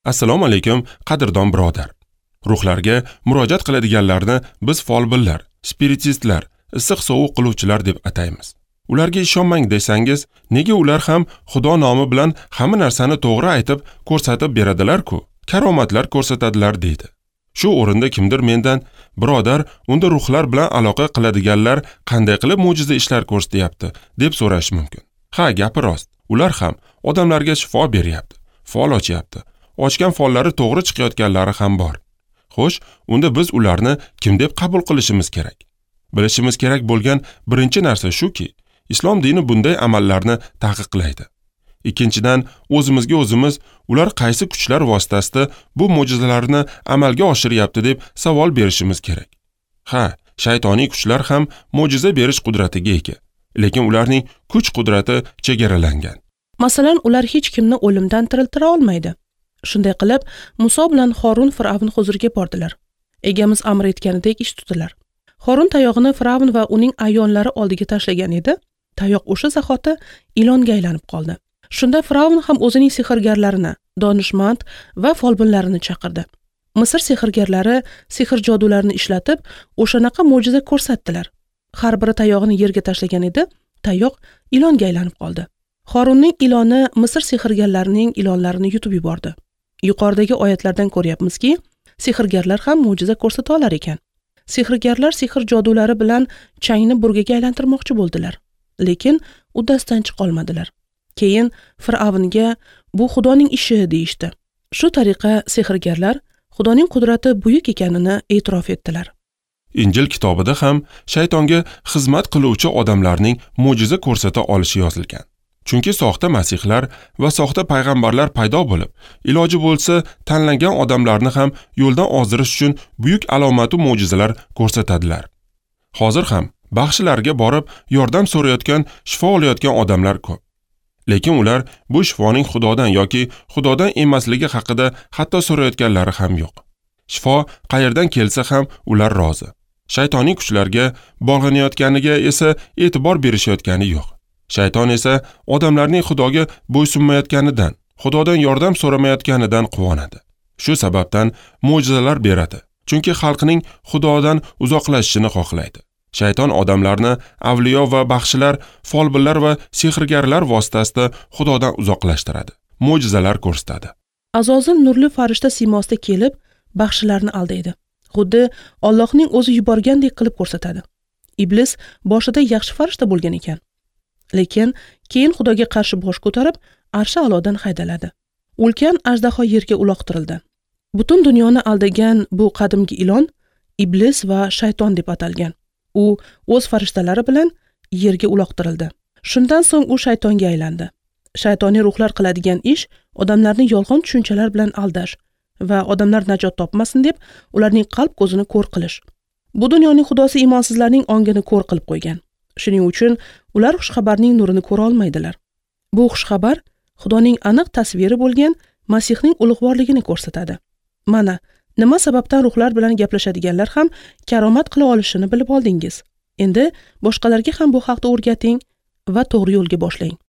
Assalomu alaykum, qadrdon birodar. Ruhlarga murojaat qiladiganlarni biz folbinlar, spiritistlar, issiq sovuq qiluvchilar deb ataymiz. Ularga ishonmang desangiz, nega ular ham Xudo nomi bilan hamma narsani to'g'ri aytib ko'rsatib beradilar-ku, karomatlar ko'rsatadilar deydi. Shu o'rinda kimdir mendan, birodar, unda ruhlar bilan aloqa qiladiganlar qanday qilib mo'jiza ishlar ko'rsatyapti, deb so'rash mumkin. Ha, gapi rost. Ular ham odamlarga shifo beryapti, fol ochyapti. Ochgan follari to'g'ri chiqayotganlari ham bor. Xo'sh, unda biz ularni kim deb qabul qilishimiz kerak? Bilishimiz kerak bo'lgan birinchi narsa shuki, islom dini bunday amallarni taqiqlaydi. Ikkinchidan, o'zimizga o'zimiz ular qaysi kuchlar vositasida bu mo'jizalarni amalga oshiryapti deb savol berishimiz kerak. Ha, shaytoniy kuchlar ham mo'jiza berish qudratiga ega, lekin ularning kuch-qudrati chegaralangan. Masalan, ular hech kimni o'limdan tiriltira olmaydi. Shunday qilib, Muso bilan Horun Fir'avn huzuriga bordilar. Egamiz amr etganidek ish tutdilar. Horun tayog'ini Fir'avn va uning ayonlari oldiga tashlagan edi. Tayoq o'sha zahoti ilonga aylanib qoldi. Shunda Fir'avn ham o'zining sehrgarlarini, donishmand va folbinlarini chaqirdi. Misr sehrgarlari sehr jodularini ishlatib, o'shanaqa mo'jiza ko'rsatdilar. Har biri tayog'ini yerga tashlagan edi, tayoq ilonga aylanib qoldi. Horunning iloni Misr sehrgarlarining ilonlarini yutib yubordi. Yuqoridagi oyatlardan ko'ryapmizki, sehrgarlar ham mo'jiza ko'rsata olar ekan. Sehrgarlar sehr jodulari bilan changni burgaga aylantirmoqchi bo'ldilar, lekin uddasidan chiqa olmadilar. Keyin Fir'avnga bu Xudoning ishi deyishdi. Shu tariqa sehrgarlar Xudoning qudrati buyuk ekanini e'tirof etdilar. Injil kitobida ham shaytonga xizmat qiluvchi odamlarning mo'jiza ko'rsata olishi yozilgan. Chunki soxta masihlar va soxta payg'ambarlar paydo bo'lib, iloji bo'lsa tanlangan odamlarni ham yo'ldan ozdirish uchun buyuk alomatu mo'jizalar ko'rsatadilar. Hozir ham baxshilarga borib yordam so'rayotgan, shifo olayotgan odamlar ko'p. Lekin ular bu shifoning Xudodan yoki Xudodan emasligi haqida hatto so'rayotganlari ham yo'q. Shifo qayerdan kelsa ham ular rozi. Shaytoniy kuchlarga bog'lanayotganiga esa e'tibor berishayotgani yo'q. Shayton esa odamlarning Xudoga bo'ysunmayotganidan, Xudodan yordam so'ramayotganidan quvonadi. Shu sababdan mo'jizalar beradi. Chunki xalqning Xudodan uzoqlashishini xohlaydi. Shayton odamlarni avliyo va baxshilar, folbinlar va sehrgarlar vositasida Xudodan uzoqlashtiradi. Mo'jizalar ko'rsatadi. Azozil nurli farishta siymosida kelib, baxshilarni aldaydi. Xuddi Allohning o'zi yuborgandek qilib ko'rsatadi. Iblis boshida yaxshi farishta bo'lgan ekan. Lekin keyin Xudoga qarshi bosh ko'tarib, arshi a'lodan haydaladi. Ulkan ajdaho yerga uloqtirildi. Butun dunyoni aldagan bu qadimgi ilon Iblis va shayton deb atalgan. U o'z farishtalari bilan yerga uloqtirildi. Shundan so'ng u shaytonga aylandi. Shaytoniy ruhlar qiladigan ish odamlarni yolg'on tushunchalar bilan aldash va odamlar najot topmasin deb ularning qalb ko'zini ko'r qilish. Bu dunyoning xudosi imonsizlarning ongini ko'r qilib qo'ygan. Shuning uchun ular xushxabarning nurini ko'ra olmaydilar. Bu xushxabar Xudoning aniq tasviri bo'lgan Masihning ulug'vorligini ko'rsatadi. Mana nima sababdan ruhlar bilan gaplashadiganlar ham karomat qila olishini bilib oldingiz. Endi boshqalarga ham bu haqda o'rgating va to'g'ri yo'lga boshlang.